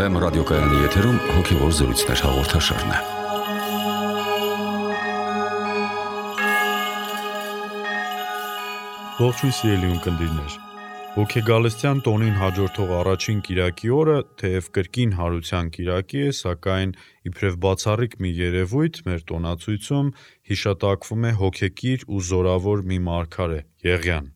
Վեմ ռադիոկայանի եթերում հոգևոր զրույցներ հաղորդաշարն է։ Ողջույն սիրելի ունկնդիրներ։ Հոգեգալստյան տոնին հաջորդող առաջին կիրակի օրը թեև կրկին հարության կիրակի է, սակայն իբրև բացառիկ մի երևույթ մեր տոնացույցում հիշատակվում է հոգեկիր ու զորավոր մի մարգարե՝ Եղիան։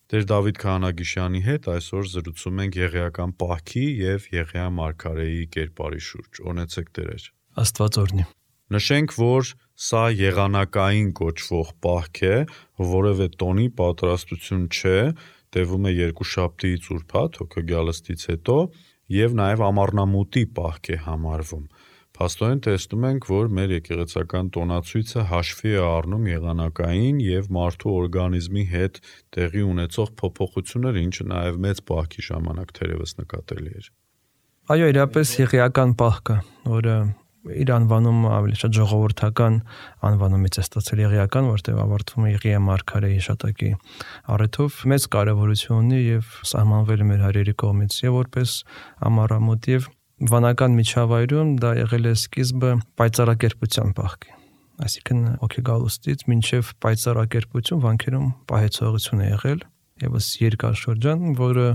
Տեր Դավիթ Քահանագիշյանի հետ այսօր զրուցում ենք եղիական պահքի և Եղիա մարգարեի կերպարի շուրջ։ Օրհնեցեք Տերեր։ Աստված օրհնի։ Նշենք, որ սա եղանակային կոչվող պահք է, որևէ տոնի պատրաստություն չէ, տևում է երկուշաբթիից ուրբաթ, հոգեգալստից հետո, և նաև ամառնամուտի պահք է համարվում։ Փաստորեն տեսնում ենք, որ մեր եկեղեցական տոնացույցը հաշվի է առնում եղանակային և մարդու օրգանիզմի հետ տեղի ունեցող փոփոխությունները, ինչը նաև մեծ պահքի ժամանակ թերևս նկատելի էր։ Այո, իրապես եղիական պահքը, որը իր անվանումը ավելի շատ ժողովրդական անվանումից է ստացել եղիական, որտեղ ավարտվում է Եղիա մարգարեի հիշատակի առիթով, մեծ կարևորություն ունի և սահմանվել է մեր հայրերի կողմից և որպես ամառամուտ և վանական միջավայրում դա եղել է սկիզբը պայծառակերպության պահքի, այսինքն հոգեգալուստից մինչև պայծառակերպություն վանքերում պահեցողություն է եղել, ևս երկար շրջան, որը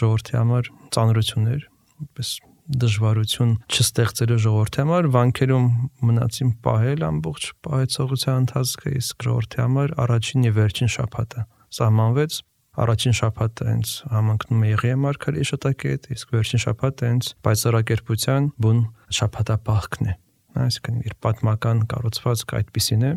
ժողովրդի համար ծանրություն էր, որպես դժվարություն չստեղծելու ժողովրդի համար վանքերում մնացին պահել ամբողջ պահեցողության ընթացքը, իսկ ժողովրդի համար առաջին և վերջին շաբաթը սահմանվեց։ Առաջին շաբաթը հենց համընկնում է Եղիա մարգարեի հիշատակի հետ, իսկ վերջին շաբաթը հենց պայծառակերպության բուն շաբաթապահքն է, այսինքն իր պատմական կառուցվածքը այդպիսին է,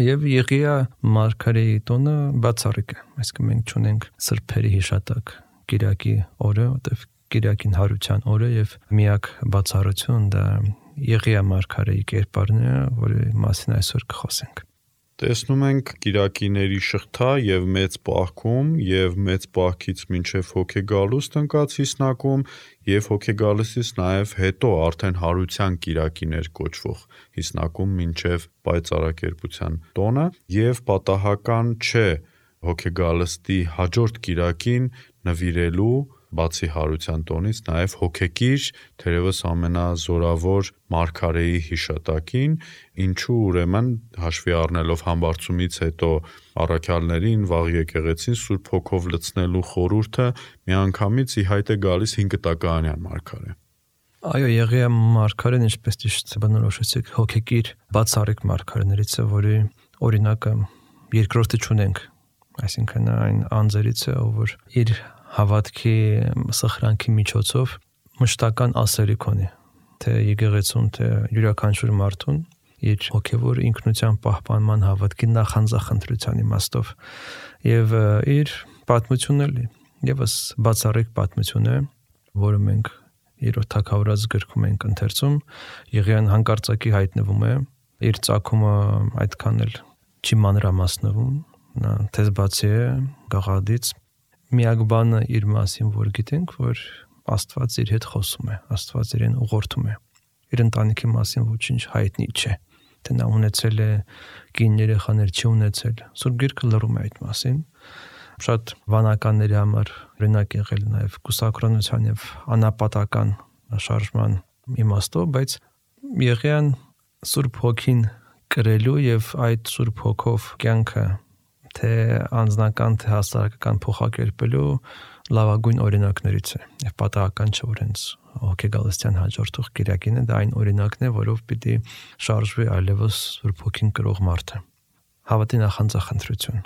և Եղիա մարգարեի տոնը բացառիկ է, այսինքն մենք չունենք սրբերի հիշատակ կիրակի օրը, որտեղ կիրակին հարության օրը և միակ բացառություն դա Եղիա մարգարեի կերպարն է, որի մասին այսօր կխոսենք։ Տեսնում ենք կիրակիների շղթա և մեծ պահքում և մեծ պահքից մինչև հոգեգալուստ ընկած հիսնակում և հոգեգալստից նաև հետո արդեն հարության կիրակիներ կոչվող հիսնակում մինչև պայծառակերպության տոնը և պատահական չէ հոգեգալստի հաջորդ կիրակին նվիրելու բացի հարության տոնից նաև հոգեկիր, թերևս ամենազորավոր մարգարեի հիշատակին, ինչու ուրեմն հաշվի առնելով համբարձումից հետո առաքյալներին, վաղ եկեղեցին Սուրբ Հոգով լցնելու խորհուրդը միանգամից ի հայտ է գալիս Հինկտակայանյան մարգարե։ Այո, Եղիա մարգարեն, ինչպես ճիշտ բնորոշեցիք, հոգեկիր բացառիկ մարգարեներից է, որի օրինակը երկրորդը չունենք, այսինքն այն անձերից է, որ իր հավատքի սխրանքի միջոցով մշտական ասելիք ունի, թե եկեղեցուն, թե յուրաքանչյուր մարդուն իր հոգևոր ինքնության պահպանման հավատքի նախանձախնդրության իմաստով և իր պատմությունն էլի ևս բացառիկ պատմություն է, որը մենք երրորդ թագավորաց գրքում ենք ընթերցում, Եղիան հանկարծակի հայտնվում է, իր ծագումը այդքան էլ չի մանրամասնվում, նա թեզբացի է գաղադից, միակ բանը իր մասին, որ գիտենք, որ Աստված իր հետ խոսում է, Աստված իրեն ուղղորդում է, իր ընտանիքի մասին ոչինչ հայտնի չէ, թե նա ունեցել է կին երեխաներ, չի ունեցել, Սուրբ Գիրքը լռում է այդ մասին, շատ վանականների համար օրինակ եղել նաև կուսակրոնության և անապատական շարժման իմաստով, բայց Եղիան Սուրբ Հոգին կրելու և այդ Սուրբ Հոգով կյանքը թե անձնական, թե հասարակական փոխակերպելու լավագույն օրինակներից է և պատահական չէ, որ հենց հոգեգալստյան հաջորդող կիրակին է, դա այն օրինակն է, որով պիտի շարժվի այլևս Սուրբ Հոգին կրող մարդը։ Հավատի նախանձախնդրություն,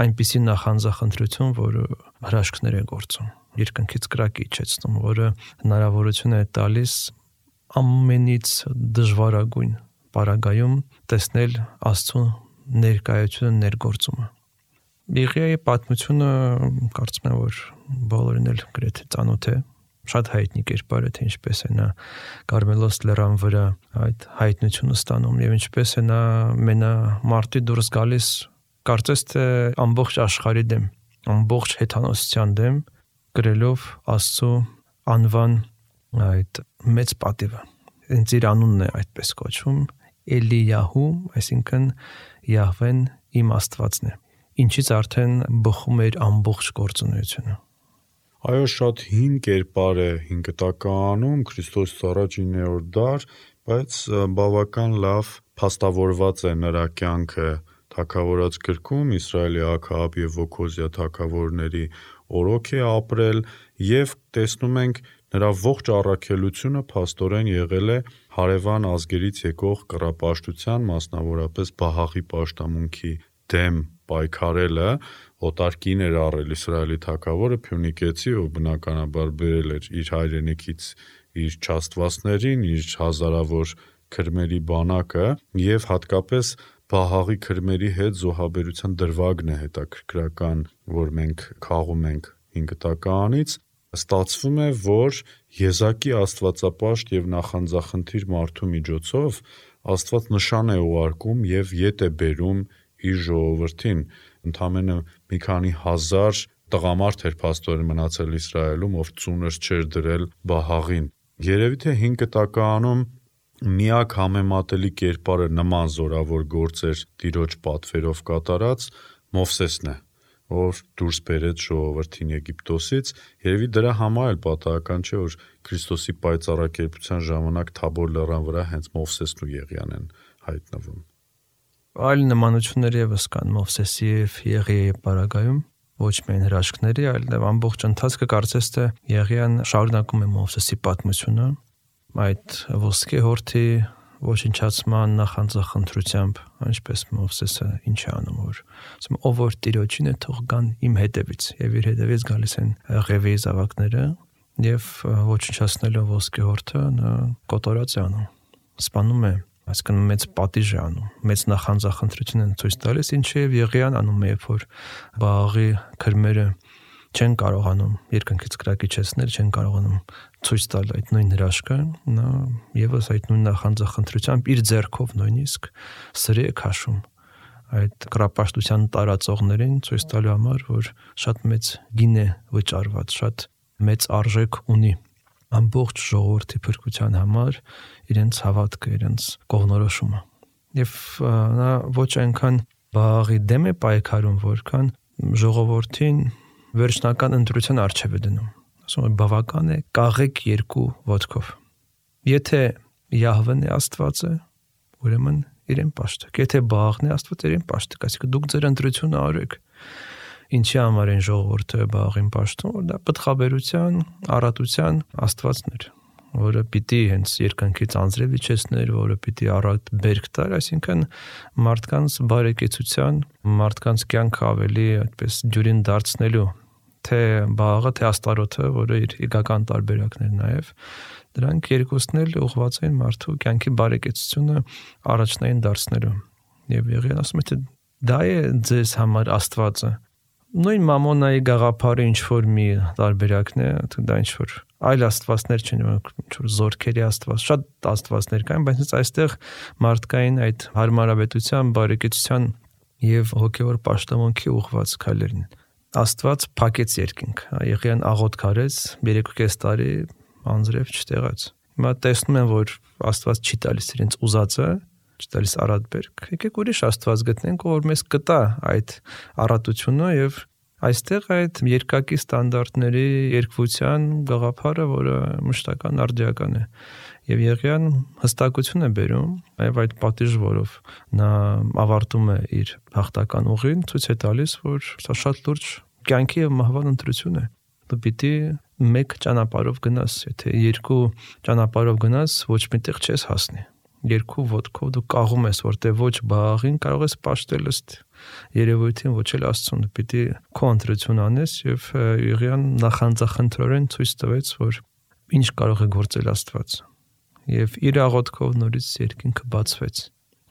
այնպիսի նախանձախնդրություն, որը հրաշքներ է գործում, երկնքից կրակ է իջեցնում, որը հնարավորություն է տալիս ամենից դժվարագույն պարագայում տեսնել Աստծո ներկայությունը, ներգործումը։ Եղիայի պատմությունը կարծում եմ, որ բոլորին էլ գրեթե ծանոթ է, շատ հայտնի կերպար է, թե ինչպես է նա Կարմելոս լեռան վրա այդ հայտնությունը ստանում և ինչպես է նա մենամարտի դուրս գալիս, կարծես թե ամբողջ աշխարհի դեմ, ամբողջ հեթանոսության դեմ, կրելով Աստծո անվան այդ մեծ պատիվը։ Հենց իր անունն է այդպես կոչվում, Էլիյահու, այսինքն Յահվեն իմ Աստվածն է, ինչից արդեն բխում է իր ամբողջ գործունեությունը։ Այո, շատ հին կերպար է 5 տականում, Քրիստոսից առաջ 9-րդ դար, բայց բավական լավ փաստավորված է նրա կյանքը թագավորած գրքում, Իսրայելի Աքահաբ եւ Օքոզիա թագավորների օրոք է ապրել եւ տեսնում ենք նրա ողջ առաքելությունը փաստորեն եղել է հարևան ազգերից եկող կռապաշտության, մասնավորապես Բահաղի պաշտամունքի դեմ պայքարելը, օտարքին էր առել Իսրայելի թագավորը Փյունիկեցի, ով բնականաբար բերել էր իր հայրենիքից իր չաստվածներին, իր հազարավոր քրմերի բանակը եւ հատկապես Բահաղի քրմերի հետ զոհաբերության դրվագն է հետաքրքրական, որ մենք քաղում ենք 5 տականից, ստացվում է, որ եզակի աստվածապաշտ եւ նախանձախնդիր մարդու միջոցով Աստված նշան է ուղարկում եւ ետ է բերում իր ժողովրդին, ընդամենը մի քանի հազար տղամարդ էր փաստորեն մնացել Իսրայելում, ով ծունր չէր դրել Բահաղին։ Երևի թե 5 տականում միակ համեմատելի կերպարը նման զորավոր գործեր տիրոջ պատվերով կատարած Մովսեսն է, ով դուրս բերեց ժողովրդին Եգիպտոսից, երևի դրա համար էլ պատահական չէ, որ Քրիստոսի պայծառակերպության ժամանակ Թաբոր լեռան վրա հենց Մովսեսն ու Եղիան են հայտնվում։ Այլ նմանություններ եւս կան Մովսեսի եւ Եղիայի պարագայում, ոչ միայն հրաշքների, այլև ամբողջ ընթացքը կարծես թե Եղիան շարունակում է Մովսեսի պատմությունը, այդ ոսկե հորթի ոչնչացման նախանձախնդրությամբ, ինչպես Մովսեսը ինչ է անում, որ ասում ով որ Տիրոջին է թող գան իմ հետևից, եւ իր հետևից գալիս են Ղևեի զավակները եւ ոչնչացնելով ոսկե հորթը նա կոտորած է անում, սպանում է, այսինքն մեծ պատիժ է անում, մեծ նախանձախնդրություն են ցույց տալիս, ինչը եւ Եղիան անում է, երբ որ Բաղի քրմերը չեն կարողանում երկնքից կրակիչեցնել, չեն կարողանում ցույց տալ այդ նույն հրաշքը, նա եւս այդ նույն նախանձախնդրությամբ իր ձեռքով նույնիսկ սրի է քաշում այդ կռապաշտության տարածողներին ցույց տալու համար, որ շատ մեծ գին է վճարված, շատ մեծ արժեք ունի ամբողջ ժողովրդի փրկության համար իրենց հավատքը, իրենց կողմնորոշումը։ Եվ նա ոչ այնքան Բաղի դեմ է պայքարում, որքան ժողովրդին վերջնական ընտրության առջև է դնում։ Ասում է բավական է կաղեք երկու ոտքով։ Եթե Յահվեն է Աստվածը, ուրեմն իրեն պաշտեք։ Եթե Բաղն է Աստված, իրեն պաշտեք, այսինքն դուք ձեր ընտրությունը արեք։ Ինչի համար են ժողովուրդը Բաղին պաշտում, որ դա պտղաբերության, առատության Աստվածն էր, որը պիտի հենց երկնքից անձրև իջեցներ, որը պիտի առատ բերք տար, այսինքն մարդկանց բարեկեցության, մարդկանց կյանքը ավելի այդպես դյուրին դարձնելու, թե Բաղը, թե Աստարոթը, որը իր իգական տարբերակներ նաև, դրանք երկուսն էլ ուղղված են մարդու կյանքի բարեկեցությունը առաջնային դարձնելու։ Եվ Եղիան ասում է, թե դա է ձեզ համար Աստվածը։ Նույն մամոնայի գաղափարը ինչ որ մի տարբերակն է, դա ինչ որ այլ աստվածներ չեն, ինչ որ զորքերի աստված, շատ աստվածներ կան, բայց այստեղ մարդկային այդ հարմարավետության, բարեկեցության եւ հոգեվոր պաշտամունքի ուղղված քայլերն։ Աստված փակեց երկինք, Եղիան աղոթք արեց 3.5 տարի անձրև չտեղած։ Հիմա տեսնում են, որ Աստված չի տալիս իրենց ուզածը, չի տալիս առատ բերք։ Եկեք ուրիշ Աստված գտնենք, ով մեզ կտա այդ առատությունը եւ այստեղ այդ երկակի ստանդարտների երկվության գաղափարը, որը մշտական արդիական է։ Եվ Եղիան հստակություն է բերում, եւ այդ պատիժ, որով նա ավարտում է իր հաղթական ուղին, ցույց է տալիս, որ սա շատ լուրջ կյանքի եւ մահվան ընտրություն է։ Դու պիտի մեկ ճանապարհով գնաս, եթե երկու ճանապարհով գնաս, ոչ միտեղ չես հասնի։ Երկու ոտքով դու կաղում ես, որտեղ ոչ Բաղին կարող ես պաշտել ըստ երևույթին, ոչ էլ Աստծուն, պիտի քո ընտրություն անես եւ Եղիան նախանձախնդրորեն ցույց տվեց, որ ինչ կարող է գործել Աստված։ Եվ իր աղոթքով նորից երկինքը բացվեց։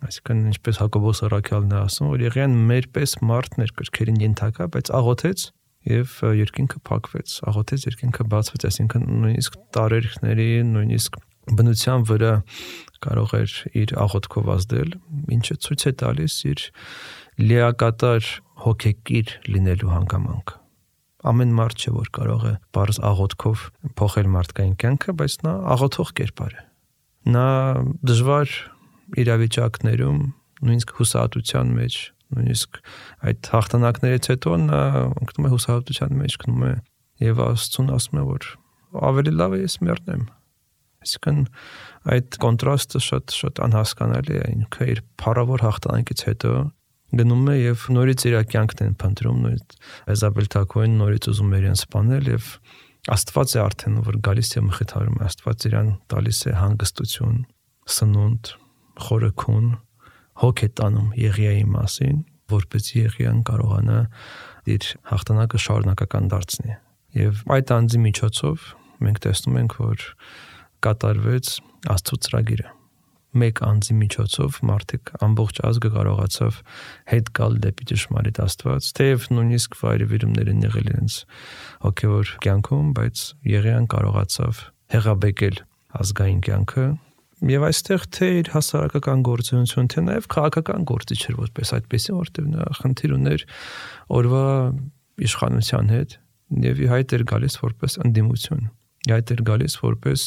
Այսինքն ինչպես Հակոբոս առաքյալն է ասում, որ Եղիան մեր պես մարդն էր կրքերին ենթակա, բայց աղոթեց եւ երկինքը փակվեց, աղոթեց, երկինքը բացվեց, այսինքն նույնիսկ տարերքների, նույնիսկ բնության վրա կարող էր իր աղոթքով ազդել, ինչը ցույց է տալիս իր լիակատար հոգեկիր լինելու հանգամանքը։ Ամեն մարդ չէ, որ կարող է բարձ աղոթքով փոխել մարդկային կյանքը, բայց նա աղոթող կերպար է։ Նա դժվար իրավիճակներում, նույնիսկ հուսահատության մեջ, նույնիսկ այդ հաղթանակներից հետո նա ընկնում է հուսահատության մեջ, գնում է եւ Աստծուն ասում է, որ ավելի լավ է ես մեռնեմ։ Այսինքն այդ կոնտրաստը շատ անհասկանալի է, ինքը իր փառավոր հաղթանակից հետո գնում է եւ նորից իր կյանքն են փնտրում, նորից Էզաբել Թակոյին նորից ուզում է իրեն սպանել եւ Աստված է արդեն որ գալիս է մխիթարում, Աստված իրան տալիս է հանգստություն, սնունդ, խորքուն, հոգ է տանում Եղիայի մասին, որպեսզի Եղիան կարողանա իր հաղթանակը շարունակական դարձնի։ Եվ այդ անձի միջոցով մենք տեսնում ենք, որ կատարվեց Աստծո ծրագիրը։ Մեկ անձի միջոցով մարդիկ ամբողջ ազգը կարողացավ հետ գալ դեպի ճշմարիտ Աստված, թեև նույնիսկ վայրիվերումներ են եղել իրենց հոգևոր կյանքում, բայց Եղիան կարողացավ հեղաբեկել ազգային կյանքը եւ այստեղ թե իր հասարակական գործունեություն, թե նաեւ քաղաքական գործիչ էր որպես այդպեսի, որտեղ նա խնդիր ուներ օրվա իշխանության հետ եւ հայտ էր գալիս որպես ընդդիմություն, հայտ էր գալիս որպես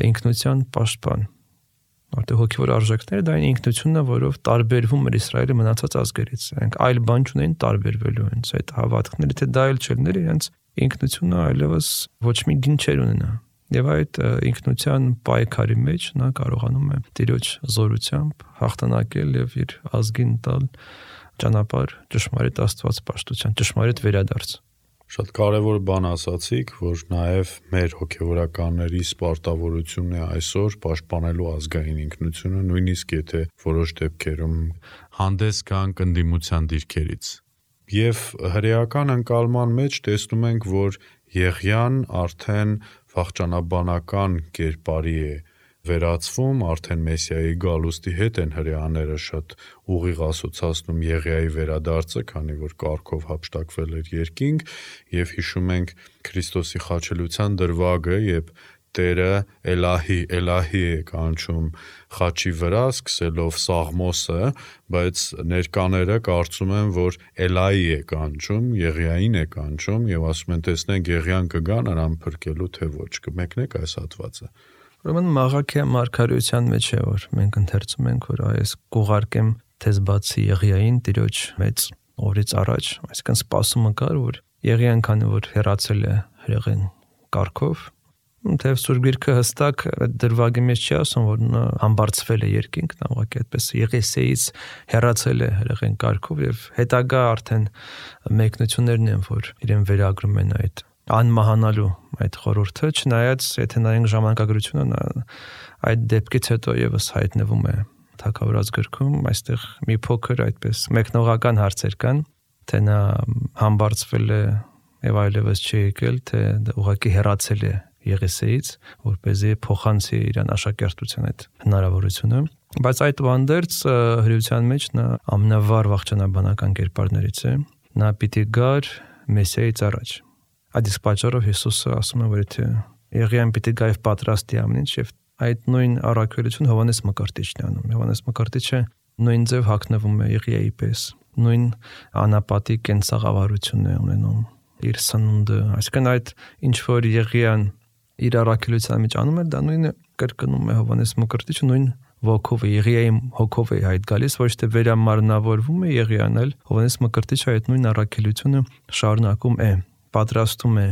ինքնության պաշտպան, որտեղ հոգևոր արժեքները դա ինքնությունն է, որով տարբերվում էր Իսրայելը մնացած ազգերից, այնք այլ բան չունեն տարբերվելու հենց այդ հավատքները, թե դա էլ չլներ իրենց ինքնությունը այլևս ոչ մի գին չեր ունենա։ Եվ այդ ինքնության պայքարի մեջ նա կարողանում է Տիրոջ զորությամբ հաղթանակել եւ իր ազգին տալ ճանապարհ ճշմարիտ Աստվածպաշտության, ճշմարիտ վերադարձ։ Շատ կարևոր բան ասացիք, որ նաև մեր հոգևորականների սպարտավորությունն է այսօր պաշտպանելու ազգային ինքնությունը, նույնիսկ եթե որոշ դեպքերում հանդես գանք ընդդիմության դիրքերից։ Եվ հրեական ընկալման մեջ տեսնում ենք, որ Եղիան արդեն վախճանաբանական կերպարի է վերածվում, արդեն Մեսիայի գալուստի հետ են հրեաները շատ ուղիղ ասոցացնում Եղիայի վերադարձը, քանի որ կարգով հափշտակվել էր երկինք, եւ հիշում ենք Քրիստոսի խաչելության դրվագը, երբ Տերը Էլահի է կանչում խաչի վրա, սկսելով Սաղմոսը, բայց ներկաները կարծում են, որ Էլայի է կանչում, Եղիային է կանչում եւ ասում են տեսնենք Եղիան կգա նրան փրկելու թե ոչ, կմեկնեք այս հատվածը։ Ուրեմն Մաղաքիա մարգարեության մեջ է, որ մենք ընթերցում ենք, որ այս կուղարկեմ թեզ բացի Եղիային Տիրոջ մեծ օրից առաջ, այսինքն սպասումը կար, որ Եղիան քանի որ հեռացել է հրեղեն կարգով, թեև Սուրբ Գիրքը հստակ դրվագի մեջ չի ասում, որ նա համբարձվել է երկինք, նա ուղղակի այդպես Եղեսեից հեռացել է հրեղեն կարգով եւ հետագա արդեն մեկնություններն են, որ իրեն վերագրում են այդ անմահանալու այդ խորհուրդը, չնայած եթե նայենք ժամանակագրությունը, նա այդ դեպքից հետո եւս հայտնվում է Թագավորաց գրքում, այստեղ մի փոքր այդպես մեկնողական հարցեր կան, թե նա համբարձվել է եւ այլևս չի եկել, թե ուղղակի հեռացել է Եղեսեից, որպեսզի փոխանցի իրան աշակերտության այդ հնարավորությունը, բայց այդ վանդերց հրեության մեջ նա ամենավառ վախճանաբանական կերպարներից է, նա պիտի գար Մեսիայից առաջ։ Այդ իսկ պատճառով Հիսուսը ասում է, որ եթե Եղիան պիտի գա եւ պատրաստի ամեն ինչ, եւ այդ նույն առաքելություն Հովհաննես Մկրտիչն է անում։ Հովհաննես Մկրտիչը նույն ձև հագնվում է Եղիայի պես, նույն անապատի կենսաղավարությունն է ունենում, իր սնունդը, այսինքն այդ ինչ որ Եղիան իր առաքելության մեջ անում է, դա նույնը կրկնում է Հովհաննես Մկրտիչը նույն ոգով է, Եղիայի հոգով է այդ գալիս, ոչ թե վերամարմնավորվում է Եղիան, այլ Հովհաննես Մկրտիչը այդ նույն առաքելությունը շարունակում է, պատրաստում է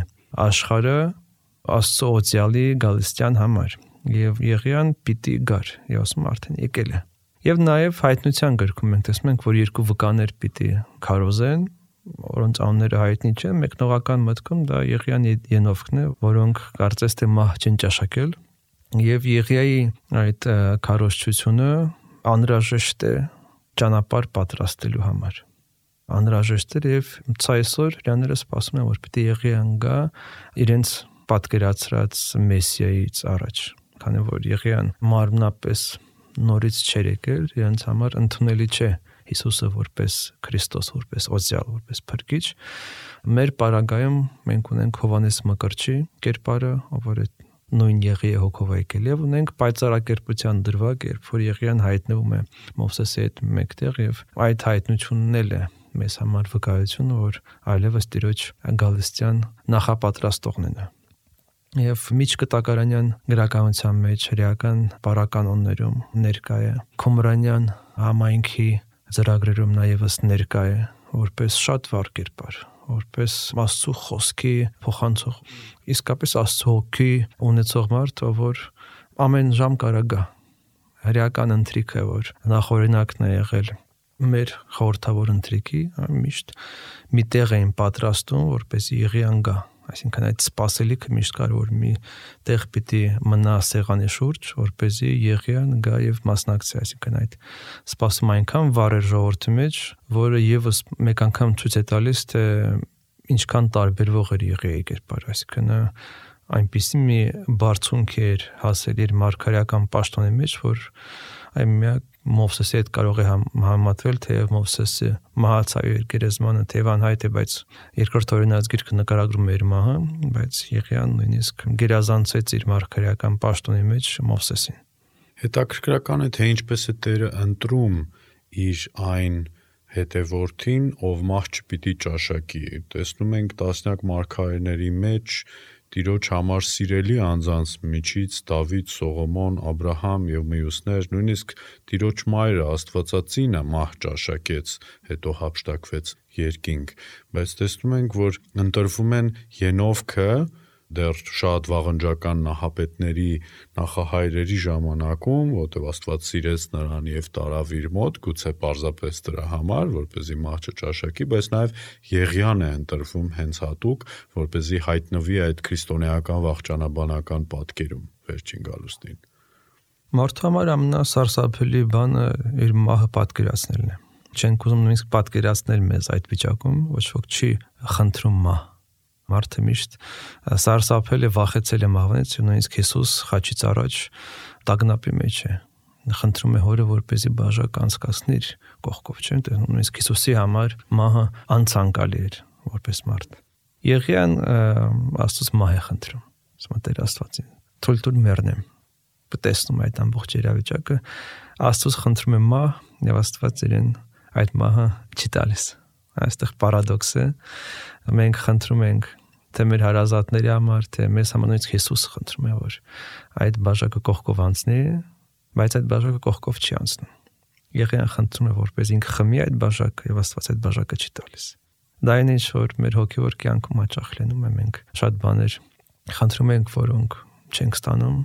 աշխարհը Աստծո օծյալի գալստյան համար, եւ Եղիան պիտի գար, եւ ասում արդեն եկել է։ Եվ նաեւ հայտնության գրքում մենք տեսնում ենք, որ երկու վկաներ պիտի քարոզեն, որոնց անունները հայտնի չեն, մեկնողական մտքում դա Եղիան Ենովքն է, որոնք կարծես թե մահ չեն ճաշակել, եւ Եղիայի այդ քարոզչությունը անհրաժեշտ է ճանապարհ պատրաստելու համար։ Անհրաժեշտ է եւ ցայսօր հրաները սպասում են, որ պիտի Եղիան գա իրենց պատկերացրած Մեսիայից առաջ, քանի որ Եղիան մարմնապես նորից չէր եկել, իրենց համար ընդունելի չէ Հիսուսը որպես Քրիստոս, որպես օծյալ, որպես փրկիչ։ Մեր պարագայում մենք ունենք Հովհաննես Մկրտչի կերպարը, որ նույն Եղիայի հոգով եկել, եւ ունենք պայծառակերպության դրվագ, երբ որ Եղիան հայտնվում է Մովսեսի հետ մեկտեղ, եւ այդ հայտնությունն էլ է մեզ համար վկայություն, որ այլևս Տիրոջ գալստյան նախապատրաստողն է։ Եվ միջկտակարանյան գրականության մեջ հրեական պարականոններում ներկա է, Քումրանյան համայնքի ծրագրերում նաև ներկա է, որպես շատ վառ կերպար, որպես Աստծո խոսքի փոխանցող, իսկապես Աստծո հոգի ունեցող մարդ, որ ամեն ժամ կարա գա։ Հրեական ընթրիքը, որ նախօրինակն է եղել մեր խորհրդավոր ընթրիքի, միշտ մի տեղ էին պատրաստում, որպեսզի Եղիան գա։ Այսինքն այդ սպասելիքը միշտ կար, որ մի տեղ պիտի մնա սեղանի շուրջ, որպեսզի Եղիան գա եւ մասնակցի, այսինքն այդ սպասումը այնքան վառ էր ժողովրդի մեջ, որը եւս մեկ անգամ ցույց է տալիս, թե ինչքան տարբերվող էր Եղիայի կերպարը, այսինքն այնպիսի մի բարձունք էր հասել իր մարգարեական պաշտոնի մեջ, որ այն միակ Մովսեսի հետ կարող է համեմատվել, թեև Մովսեսը մահացավ իր գերեզմանը, թեև անհայտ է, բայց երկրորդ օրինաց գիրքը նկարագրում է իր մահը, բայց Եղիան նույնիսկ գերազանցեց իր մարգարեական պաշտոնի մեջ Մովսեսին։ Հետաքրքրական է, թե ինչպես է Տերը ընտրում իր այն հետևորդին, ով մահ չպիտի ճաշակի։ Տեսնում ենք տասնյակ մարգարեների մեջ Տիրոջ համար սիրելի անձանց միջից Դավիթ, Սողոմոն, Աբրահամ եւ մյուսներ, նույնիսկ Տիրոջ մայրը Աստվածածինը մահ ճաշակեց, հետո հափշտակվեց երկինք, բայց տեսնում ենք, որ ընտրվում են Ենովքը դեռ շատ վաղնջական նահապետների նախահայրերի ժամանակում, որտեղ Աստված սիրեց նրան եւ տարավ իր մոտ, գուցե պարզապես դրա համար, որպեսզի մահ չճաշակի, բայց նաեւ Եղիան է ընտրվում հենց հատուկ, որպեսզի հայտնվի այդ քրիստոնեական վաղճանաբանական պատկերում վերջին գալուստին։ Մարդու համար ամենասարսափելի բանը իր մահը պատկերացնելն է։ Չենք ուզում նույնիսկ պատկերացնել մեզ այդ վիճակում, ոչ ոք չի խնդրում մահ։ Մարդը միշտ սարսափել է, վախեցել է մահվանից, նույնիսկ Հիսուս խաչից առաջ տագնապի մեջ է։ Խնդրում է Հորը, որպեսզի բաժակ անցկացնի իր կողքով, չէ՞։ Նույնիսկ Հիսուսի համար մահը անցանկալի էր որպես մարդ։ Եղիան Աստծուց մահ է խնդրում։ Ասում է Տեր Աստվածին, թույլ տուր մեռնեմ։ Տեսնում այդ ամբողջ իրավիճակը, Աստծուց խնդրում է մահ, եւ Աստված իրեն այդ մահը չի տալիս։ Այստեղ պարադոքս է։ Մենք խնդրում ենք թե մեր հարազատների համար, թե մեզ համար, նույնիսկ Հիսուսը խնդրում է, որ այդ բաժակը կողքով անցնի, բայց այդ բաժակը կողքով չի անցնում։ Եղիան խնդրում է, որպես ինքը խմի այդ բաժակը, եւ Աստված այդ բաժակը չի տալիս։ Դա այն ինչ որ մեր հոգեվոր կյանքում հաճախ լինում է, մենք շատ բաներ խնդրում ենք, որոնք չենք ստանում,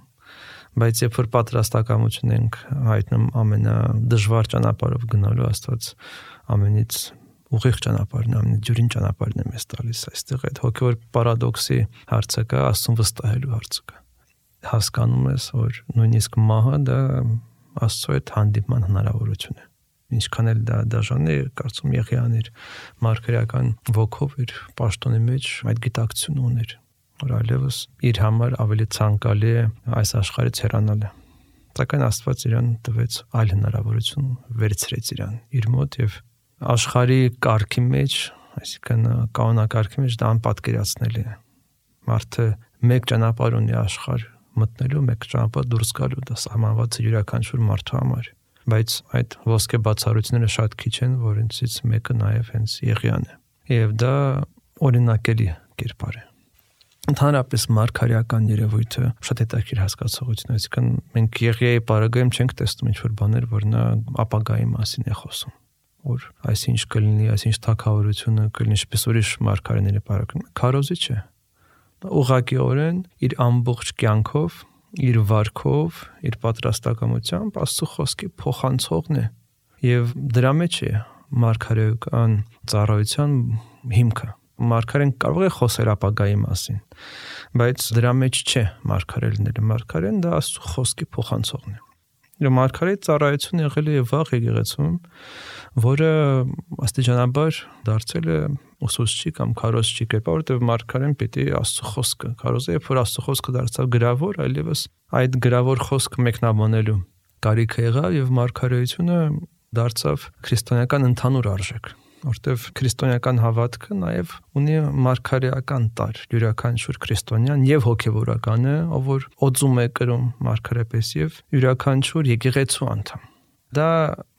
բայց երբ որ պատրաստակամություն ենք հայտնում ամենադժվար ճանապարհով գնալու, Աստված ամենից ուղիղ ճանապարհն, ամենաջուրին ճանապարհն է մեզ տալիս։ Այստեղ այդ հոգեվոր պարադոքսի հարցը կա, Աստծուն վստահելու հարցը կա։ Հասկանում ես, որ նույնիսկ մահը դա Աստծո հետ հանդիպման հնարավորություն է։ Ինչքան էլ դա դաժան է, կարծում Եղիան իր մարգարեական ոգով իր պաշտոնի մեջ այդ գիտակցությունը ուներ, որ այլևս իր համար ավելի ցանկալի է այս աշխարհից հեռանալը։ Սակայն Աստված իրան տվեց այլ հնարավորություն, վերցրեց իրան իր մոտ եւ աշխարհի կարգի մեջ, այսինքն կանոնակարգի մեջ դա անպատկերացնելի է։ Մարդը մեկ ճանապարհ ունի աշխարհ մտնելու, մեկ ճանապարհ դուրս գալու, դա սահմանված է յուրաքանչյուր մարդու համար, բայց այդ ոսկե բացառությունները շատ քիչ են, որոնցից մեկը նաև հենց Եղիան է։ Եվ դա օրինակելի կերպար է։ Ընդհանրապես մարգարեական երևույթը շատ հետաքրքիր հասկացողություն է, այսինքն մենք Եղիայի պարագայում չենք տեսնում ինչ-որ բաներ, որ նա ապագայի մասին է խոսում, որ այսինչ կլինի, այսինչ թագավորությունը կլինի, ինչպես ուրիշ մարգարեների պարագայում։ Քարոզիչ է։ Ուղղակիորեն իր ամբողջ կյանքով, իր վարքով, իր պատրաստակամությամբ Աստծո խոսքի փոխանցողն է։ Եվ դրա մեջ է մարգարեական ծառայության հիմքը։ Մարգարեն կարող է խոսել ապագայի մասին, բայց դրա մեջ չէ մարգարե լինելը։ Մարգարեն դա Աստծո խոսքի փոխանցողն է։ Եվ մարգարեի ծառայությունը եղել է վաղ եկեղեցում, որը աստիճանաբար դարձել է ուսուցչի կամ քարոզչի կերպար, որտեղ մարգարեն պիտի Աստծո խոսքը քարոզի, երբ որ Աստծո խոսքը դարձավ գրավոր, այլևս այդ գրավոր խոսքը մեկնաբանելու կարիքը եղավ եւ մարգարեությունը դարձավ քրիստոնեական ընդհանուր արժեք, որտեղ քրիստոնեական հավատքը նաև ունի մարգարեական տար, յուրաքանչյուր քրիստոնյան եւ հոգեվորականը, ով որ օծում է կրում մարգարեպես եւ յուրաքանչյուր եկեղեցու անդամ։ Դա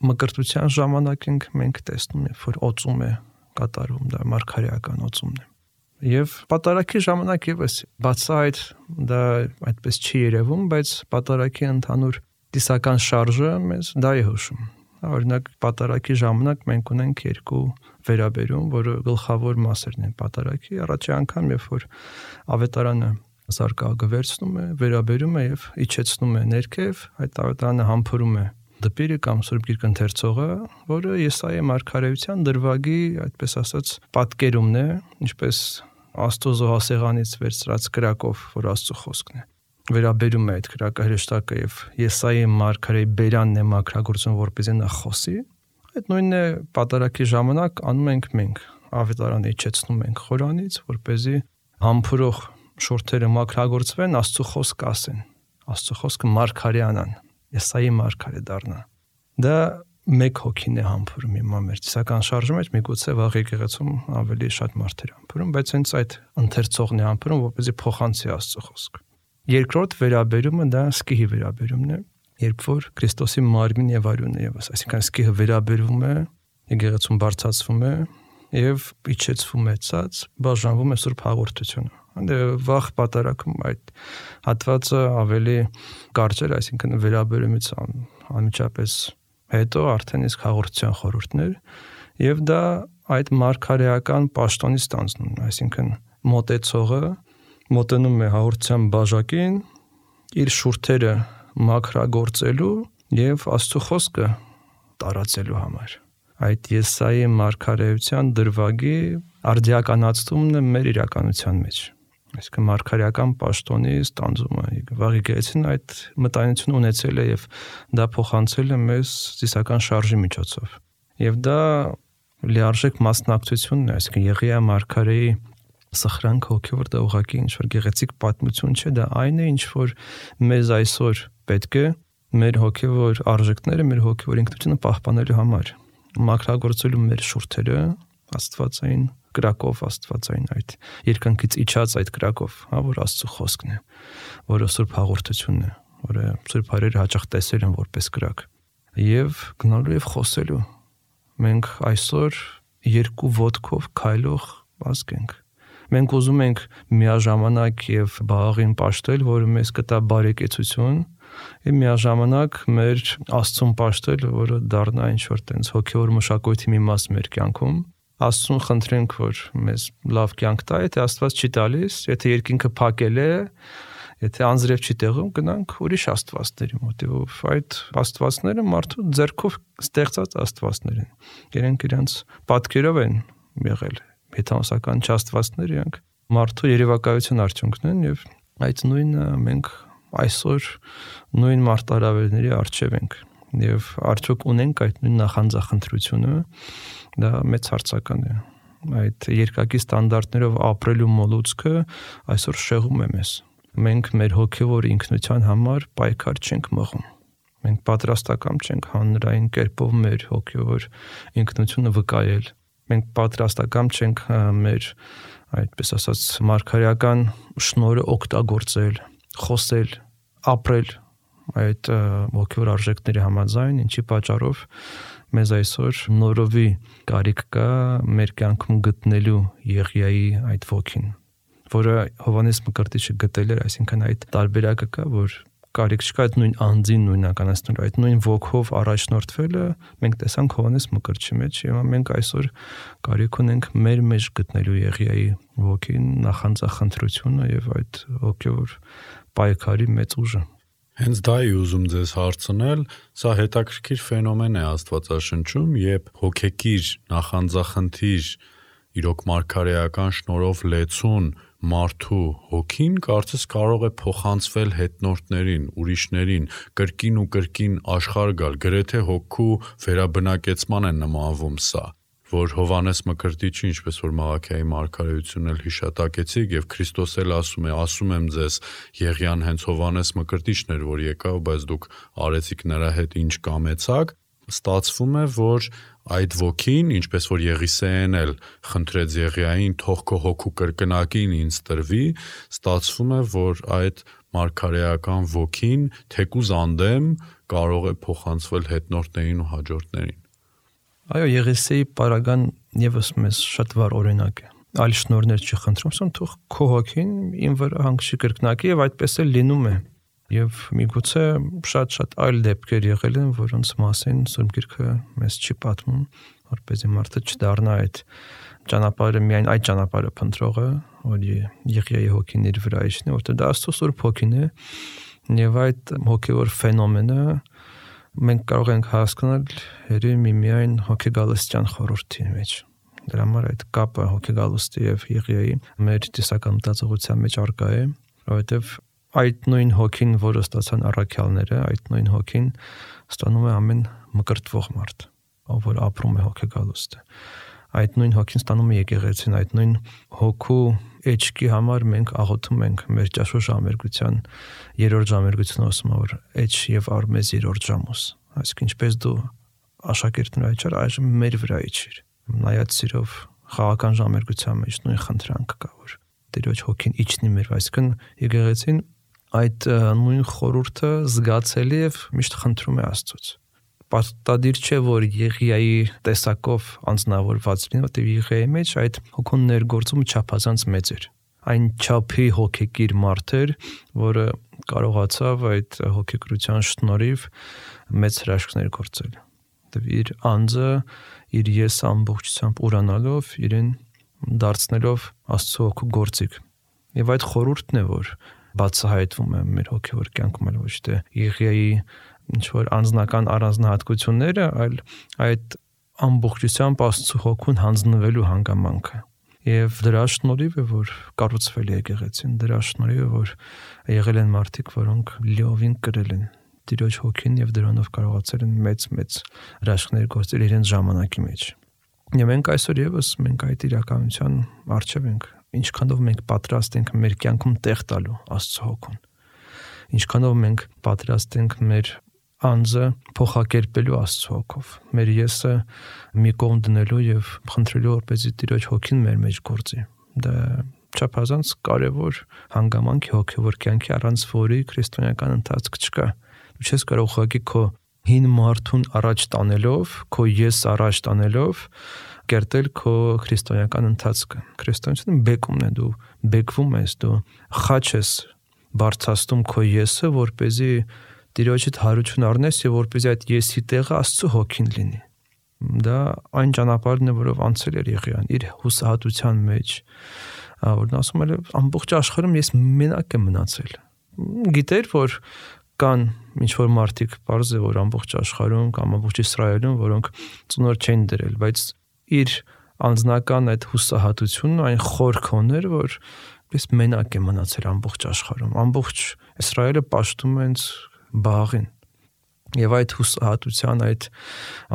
մկրտության ժամանակ մենք տեսնում ենք, որ օծում է կատարում, դա մարգարեական օծումն է։ Եվ պատարագի ժամանակ եւս բացահայտ դա այդպես չի երևում, բայց պատարագի ընդհանուր տիսական շարժը մեզ դա է հուշում։ Օրինակ պատարագի ժամանակ մենք ունենք երկու վերաբերում, որը գլխավոր մասերն են պատարագի, առաջի անգամ երբ որ ավետարանը զարկաղը վերցնում է, վերաբերում է եւ իջեցնում է ներքև, այդ ավետարանը համբուրում է դպիրը կամ Սուրբ Գիրք ընթերցողը, որը Եսայի մարգարեության դրվագի, այդպես ասած, պատկերումն է, ինչպես Աստծո զոհասեղանից վերցրած կրակով, որ Աստծո խոսքն է։ Վերաբերում է այդ կրակը հրեշտակը եւ Եսայի մարգարեի բերանն է մաքրագործում, որպեսզի նա խոսի։ Այդ նույնն է պատարագի ժամանակ անում ենք մենք, ավետարանը իջեցնում ենք Խորանից, որպեսզի համբուրող շուրթերը մաքրագործվեն, Աստծո խոսքը ասեն, Աստծո խոսքը մարգարեանան, Եսայի մարգարե դառնա։ Դա մեկ հոգին է համբուրում հիմա մեր ծիսական շարժում մեջ, միգուցե վաղ եկեղեցում ավելի շատ մարդեր համբուրում, բայց հենց այդ ընթերցողն է համբուրում, որպեսզի փոխանցի Աստծո խոսքը։ Երկրորդ վերաբերումը դա սկիհի վերաբերումն է, երբ որ Քրիստոսի մարմին եւ արյունն է եւս, այսինքն սկիհը վերաբերվում է, եկեղեցում բարձրացվում է եւ իջեցվում է ցած, բաժանվում է Սուրբ հաղորդությունը։ Անդե վաղ պատարագում այդ հատվածը ավելի կարճ էր, այսինքն վերաբերումից անմիջապես հետո արդեն իսկ հաղորդության խորհուրդներ եւ դա այդ մարգարեական պաշտոնից ստանձնում, այսինքն մոտեցողը մոտենում է հաղորդության բաժակին իր շուրթերը մաքրագործելու եւ Աստծո խոսքը տարածելու համար։ Այդ Եսայի մարգարեության դրվագի արդիականացումն է մեր իրականության մեջ։ Այսինքն մարգարեական պաշտոնի ստանձումը։ Վաղ եկեղեցին այդ մտայնությունը ունեցել է եւ դա փոխանցել է մեզ ծիսական շարժի միջոցով։ Եվ դա լիարժեք մասնակցությունն է, այսինքն Եղիա մարգարեի սխրանք հոգևոր դա ուղղակի ինչ որ գեղեցիկ պատմություն չէ, դա այն է, ինչ որ մեզ այսօր պետք է մեր հոգևոր արժեքները, մեր հոգևոր ինքնությունը պահպանելու համար, մաքրագործելու մեր շուրթերը աստվածային կրակով, աստվածային այդ երկնքից իջած այդ կրակով, որ Աստծո խոսքն է, որը Սուրբ հաղորդությունն է, որը Սուրբ Հայրերը հաճախ տեսել են որպես կրակ, եւ գնալու եւ խոսելու։ Մենք այսօր երկու ոտքով քայլող ազգ ենք։ Մենք ուզում ենք միաժամանակ եւ բաղին պաշտել, որը մեզ կտա բարեկեցություն, եւ միաժամանակ մեր Աստծուն պաշտել, որը դառնա ինչ որ տենց հոգեոր մշակույթի մի մաս մեր կյանքում։ Աստծուն խնդրենք, որ մեզ լավ կյանք տա, եթե Աստված չի տալիս, եթե երկինքը փակել է, եթե անձրև չի տեղում, գնանք ուրիշ աստվածների մոտիվով։ Այդ աստվածները մարդու ձեռքով ստեղծած աստվածներ են։ Իրենք իրենց պատկերով են եղել, հեթանոսական չաստվածներ, իրենք մարդու երևակայության արդյունքն են եւ այդ նույնը մենք այսօր նույն մարտահրավերների առջև ենք եւ արդյոք ունենք այդ նույն նախանձախնդրությունը, դա մեծ հարցական է։ Այդ երկակի ստանդարտներով ապրելու մոլուցքը այսօր շեղում է մեզ։ Մենք մեր հոգևոր ինքնության համար պայքար չենք մղում։ Մենք պատրաստական չենք հանրային կերպով մեր հոգևոր ինքնությունը վկայել։ Մենք պատրաստական չենք մեր, այդպես ասած, մարգարեական շնորհը օգտագործել, խոսել, ապրել այդ հոգևոր արժեքների համաձայն, ինչի պատճառով մեզ այսօր նորովի կարիք կա մեր կյանքում գտնելու Եղիայի այդ ոգին, որը Հովհաննես Մկրտիչը գտել էր, այսինքն այդ տարբերակը կա, որ կարիք չկա այդ նույն անձին նույնականացնելու, այդ նույն ոգով առաջնորդվելը մենք տեսանք Հովհաննես Մկրտչի մեջ, եւ մենք այսօր կարիք ունենք մեր մեջ գտնելու Եղիայի ոգին, նախանձախնդրությունը եւ այդ հոգևոր պայքարի մեծ ուժը։ Հենց դա է ուզում ձեզ հարցնել, սա հետաքրքիր ֆենոմեն է Աստվածաշնչում, երբ հոգեկիր նախանձախնդիր, իրոք մարգարեական շնորհով լեցուն մարդու հոգին կարծես կարող է փոխանցվել հետնորդներին, ուրիշներին, կրկին ու կրկին աշխարհ գալ, գրեթե հոգու վերաբնակեցման է նմանվում սա, որ Հովհաննես Մկրտիչը, ինչպես որ Մաղաքիայի մարգարեությունն էլ հիշատակեցիք, եւ Քրիստոս էլ ասում եմ ձեզ, Եղիան հենց Հովհաննես Մկրտիչն էր, որ եկավ, բայց դուք արեցիք նրա հետ ինչ կամեցաք, ստացվում է, որ այդ ոգին, ինչպես որ Եղիսեեն էլ խնդրեց Եղիային, թող քո հոգու կրկնակին ինձ տրվի, ստացվում է, որ այդ մարգարեական ոգին թեկուզ անդեմ կարող է փոխանցվել հետնորդներին ու հաջորդներին։ Այո, Եղիսեի պարագան եւս մեզ շատ վառ օրինակ է։ Այլ շնորհներ չի խնդրում, սա թող քո հոգին իմ վրա հանգչի կրկնակի եւ այդպես էլ լինում է։ Եվ միգուցե շատ այլ դեպքեր եղել են, որոնց մասին Սուրբ Գիրքը մեզ չի պատմում, որպեսզի մարդը չդառնա այդ ճանապարհը միայն այդ ճանապարհը փնտրողը, որ Եղիայի հոգին իր վրա իջնի, որտեղ դա Աստծո Սուրբ հոգին է, եւ այդ հոգեոր ֆենոմենը մենք կարող ենք հասկանալ միայն հոգեգալստյան խորհրդի մեջ։ Դրա համար այդ կապը հոգեգալստի եւ Եղիայի մեր տեսական մտածողության մեջ առկա է, որովհետեւ այդ նույն հոգին, որը ստացան առաքյալները, այդ նույն հոգին ստանում է ամեն մկրտվող մարդ, ով որ ապրում է հոգեգալուստը։ Այդ նույն հոգին ստանում է եկեղեցին, այդ նույն հոգու էջքի համար մենք աղոթում ենք մեր ճաշու ժամերգության երրորդ ժամերգությունը ասում է, որ էջ եւ արմեզ երրորդ ժամուս։ Այսինքն ինչպես դու աշակերտն այչար այժմ մեր վրա իջիր։ Նայած սիրով խաղական ժամերգության մեջ նույն խնդրանքը կա, որ Տիրոջ հոգին իջնի մեր, այսինքն եկեղեցին այդ նույն խորհուրդը զգացելի եւ միշտ խնդրում է Աստծոց։ Պարտադիր չէ, որ Եղիայի տեսակով անձնավորված լինի, որտեղ Եղիայի մեջ այդ հոգուն ներգործումը չափազանց մեծ էր։ Այն չափի հոգեկիր մարդ էր, որը կարողացավ այդ հոգեկրության շնորհիվ մեծ հրաշքներ գործել։ Որտեղ իր անձը, իր ես ամբողջությամբ ուրանալով, իրեն դարձնելով Աստծո հոգու գործիք։ Եվ այդ խորհուրդն է, որ բացահայտվում է մեր հոգևոր կյանքում, այլ ոչ թե Եղիայի ինչ-որ անձնական առանձնահատկությունները, այլ այդ ամբողջությամբ Աստծո հոգուն հանձնվելու հանգամանքը։ Եվ դրա շնորհիվ է, որ կառուցվել է եկեղեցին, դրա շնորհիվ է, որ եղել են մարդիկ, որոնք լիովին կրել են Տիրոջ հոգին եւ դրանով կարողացել են մեծ հրաշքներ գործել իրենց ժամանակի մեջ։ Եվ մենք այսօր եւս մենք այդ իրականության առջև ենք, ինչքանով մենք պատրաստ ենք մեր կյանքում տեղ տալու Աստծո հոգուն, ինչքանով մենք պատրաստ ենք մեր անձը փոխակերպելու Աստծո հոգով, մեր եսը մի կողմ դնելու եւ խնդրելու, որպեսզի Տիրոջ հոգին մեր մեջ գործի։ Դա չափազանց կարևոր հանգամանք է հոգևոր կյանքի, առանց որի քրիստոնեական ընթացք չկա։ Դու չես կարող ուղղակի քո հին մարդուն առաջ տանելով, քո ես առաջ տանելով կերտել քո քրիստոնեական ընթացքը։ Քրիստոնեությունը բեկումն է, դու բեկվում ես, դու խաչ ես բարձրացնում քո եսը, որպեսզի Տիրոջիդ հարություն առնես եւ որպեսզի այդ եսի տեղը Աստծո հոգին լինի։ Դա այն ճանապարհն է, որով անցել էր Եղիան իր հուսահատության մեջ, որն ասում է ամբողջ աշխարհում ես մենակ եմ մնացել։ Գիտեր, որ կան ինչ-որ մարդիկ, բարձ է, որ ամբողջ աշխարհում կամ ամբողջ Իսրայելում, որոնք ծնոր չեն դրել, բայց իր անձնական այդ հուսահատությունը այն խորքն էր, որ ես մենակ եմ մնացել ամբողջ աշխարհում։ Ամբողջ Իսրայելը պաշտում է ինձ Բաղին։ Եվ այդ հուսահատության այդ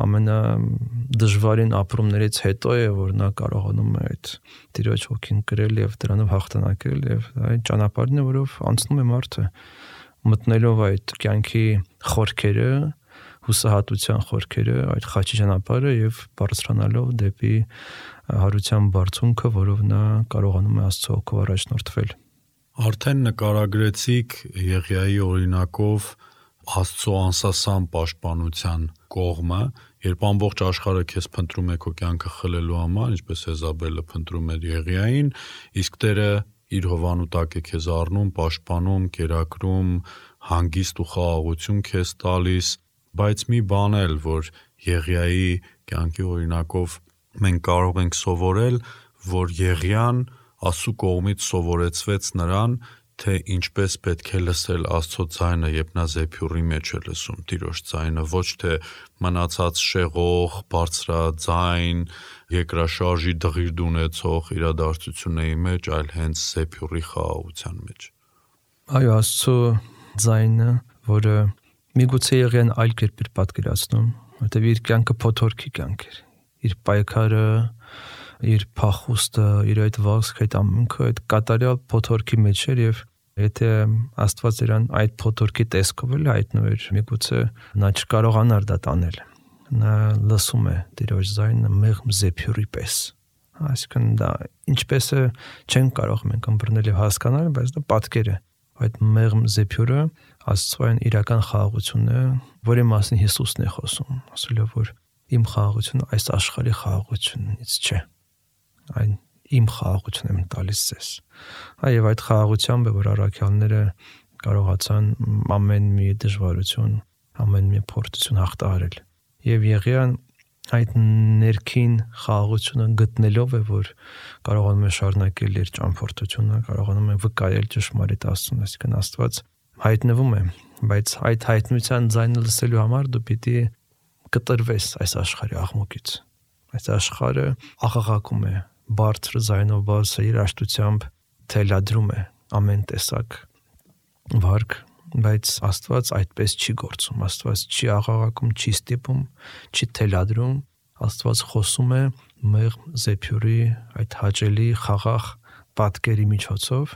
ամենադժվարին ապրումներից հետո է, որ նա կարողանում է այդ Տիրոջ հոգին կրել եւ դրանով հաղթանակել, եւ այդ ճանապարհն է, որով անցնում է մարդը, մտնելով այդ կյանքի խորքերը, հուսահատության խորքերը, այդ խաչի ճանապարհը եւ բարձրանալով դեպի հարության բարձունքը, որով նա կարողանում է Աստծո հոգով առաջնորդվել։ Արդեն նկարագրեցիք Եղիայի օրինակով Աստծո անսասան պաշտպանության կողմը, երբ ամբողջ աշխարհը քեզ փնտրում է քո կյանքը խլելու համար, ինչպես Եզաբելը փնտրում էր Եղիային, իսկ Տերը իր հովանու տակ է քեզ առնում, պաշտպանում, կերակրում, հանգիստ ու խաղաղություն քեզ տալիս, բայց մի բան էլ, որ Եղիայի կյանքի օրինակով մենք կարող ենք սովորել, որ Եղիան Աստծո կողմից սովորեցվեց նրան, թե ինչպես պետք է լսել Աստծո ձայնը, երբ նա զեփյուռի մեջ է լսում Տիրոջ ձայնը, ոչ թե մնացած շեղող, բարձրաձայն, երկրաշարժի դղիրդ ունեցող իրադարձությունների մեջ, այլ հենց զեփյուռի խաղաղության մեջ։ Այո, Աստծո ձայնը, որը միգուցե Եղիան այլ կերպ էր պատկերացնում, որտեղ իր կյանքը փոթորքի կյանք էր, իր պայքարը, իր փախուստը, իր այդ վազքը, այդ ամենքը այդ կատարյալ փոթորքի մեջ էր եւ եթե Աստված իրան այդ փոթորքի տեսքով էլ հայտնվեր, միգուցե նա չկարողանար դա տանել։ Նա լսում է Տիրոջ ձայնը մեղմ զեփյուռի պես։ Այսինքն դա ինչպես է չեն կարող մենք ըմբռնել եւ հասկանալ, բայց դա պատկեր է։ Այդ մեղմ զեփյուռը Աստծոյն իրական խաղաղությունն է, որի մասին Հիսուսն է խոսում, ասելով որ իմ խաղաղությունը այս աշխարհի խաղաղությունից չէ։ Այն իմ խաղաղությունն եմ տալիս ձեզ։ Այո, այդ խաղաղությամբ է, որ առաքյալները կարողացան ամեն մի դժվարություն, ամեն մի փորձություն հաղթահարել։ Եվ Եղիան այդ ներքին խաղաղությունը գտնելով է, որ կարողանում է շարունակել իր ճամփորդությունը, կարողանում է վկայել ճշմարիտ Աստծուն, այսինքն Աստված հայտնվում է, բայց այդ հայտնության ձայնը լսելու համար դու պիտի կտրվես այս աշխարհի աղմուկից։ Այս աշխարհը աղաղակում է, բարձր ձայնով, բարձր երաժշտությամբ թելադրում է ամեն տեսակ վարք, բայց Աստված այդպես չի գործում, Աստված չի աղաղակում, չի ստիպում, չի թելադրում, Աստված խոսում է մեղմ զեփյուրի այդ հաճելի խաղաղ պատկերի միջոցով,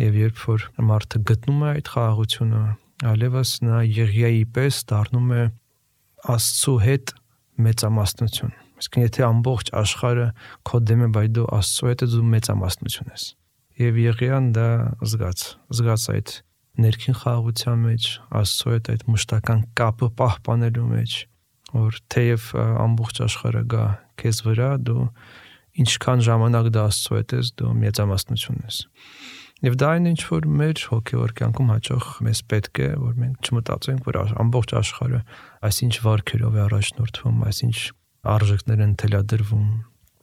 եւ երբ որ մարդը գտնում է այդ խաղաղությունը, այլևս նա Եղիայի պես դառնում է Աստծու հետ մեծամասնություն։ Իսկ եթե ամբողջ աշխարհը քո դեմ է, բայց դու Աստծու հետ ես, դու մեծամասնություն ես։ Եվ Եղիան դա զգաց այդ ներքին խաղաղության մեջ, Աստծու հետ այդ մշտական կապը պահպանելու մեջ, որ թեև ամբողջ աշխարհը գա քեզ վրա, դու ինչքան ժամանակ դա Աստծու հետ ես, դու մեծամասնություն ես։ Եվ դա այն ինչ որ մեր հոգևոր կյանքում հաճախ մեզ պետք է, որ մենք չմտածենք, որ ամբողջ աշխարհը այսինչ վարքերով է առաջնորդվում, այսինչ արժեքներ են թելադրվում։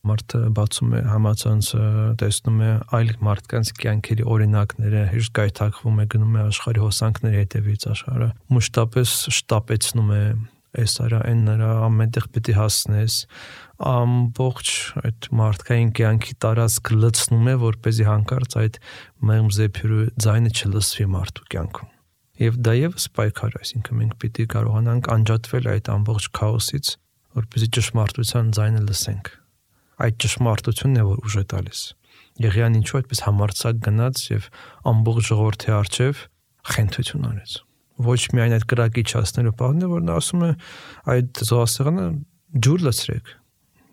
Մարդը բացում է համացանցը, տեսնում է այլ մարդկանց կյանքերի օրինակները, հեշտ գայթակղվում է, գնում է աշխարհի հոսանքների հետևից, աշխարհը մշտապես շտապեցնում է, այս արա այն նրա ամենտեղ պիտի հասնես, ամբողջ այդ մարդկային կյանքի տարածք լցնում է, որպեսզի հանկարծ այդ մեղմ զեփյուրի ձայնը չլսվի մարդու կյանքում։ Եվ դա եւս պայքար, այսինքն մենք պիտի կարողանանք անջատվել այդ ամբողջ քաոսից, որպեսզի ճշմարտության ձայնը լսենք։ Այդ ճշմարտությունն է, որ ուժ է տալիս։ Եղիան ինչու այդպես համարձակ գնաց եւ ամբողջ ժողովրդի առջև խենթություն արեց։ Ոչ միայն այդ կրակի չասնելու բանն է, որ նա ասում է այդ զոհասեղանը ջուր լցրեք։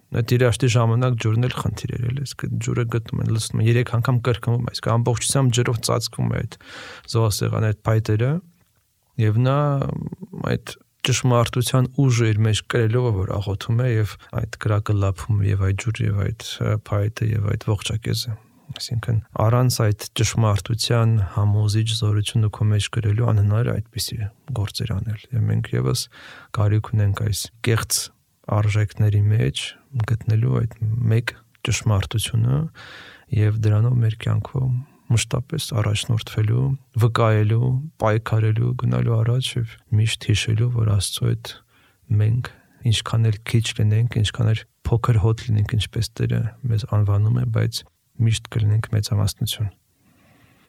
Այդ երաշտի ժամանակ ջուրն էլ խնդիր էր, իսկ ջուրը գտնում են, լցնում են 3 անգամ կրկնվում, այսինքն ամբողջությամբ ջրով ծածկվում է այդ զոհասեղանի այդ փայտերը, եւ նա այդ ճշմարտության ուժը իր մեջ կրելով որ աղոթում է եւ այդ կրակը լափում եւ այդ ջուրը եւ այդ փայտը եւ այդ ողջակեզը, այսինքն առանց այդ ճշմարտության համոզիչ զորությունը քո մեջ կրելու անհնար է այդպիսի գործեր անել եւ մենք եւս կարիք ունենք այս կեղծ արժեքների մեջ գտնելու այդ մեկ ճշմարտությունը եւ դրանով մեր կյանքում մշտապես առաջնորդվելու, վկայելու, պայքարելու, գնալու առաջ եւ միշտ հիշելու, որ Աստծո հետ մենք ինչքան էլ քիչ լինենք, ինչքան էլ փոքր հոտ լինենք, ինչպես Տերը մեզ անվանում է, բայց միշտ կլինենք մեծամասնություն։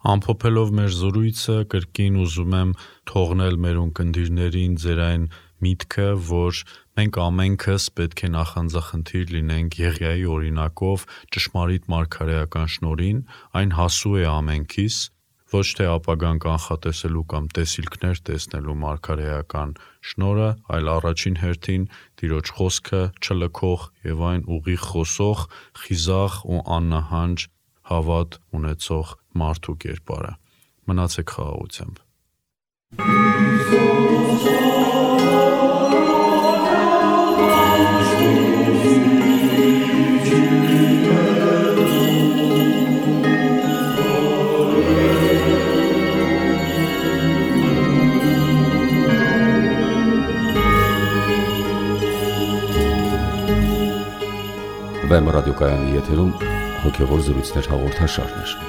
Ամփոփելով մեր զրույցը, կրկին ուզում եմ թողնել մեր ունկնդիրներին ձեր այն միտքը, որ մենք ամենքս պետք է նախանձախնդիր լինենք Եղիայի օրինակով ճշմարիտ մարգարեական շնորհին, այն հասու է ամենքիս, ոչ թե ապագան կանխատեսելու կամ տեսիլքներ տեսնելու մարգարեական շնորհը, այլ առաջին հերթին Տիրոջ խոսքը չլքող եւ այն ուղիղ խոսող, խիզախ ու աննահանջ հավատ ունեցող մարդու կերպարը։ Մնացեք խաղաղությամբ։ Վեմ ռադիոկայանի եթերում հոգևոր զրույցներ հաղորդաշարներ։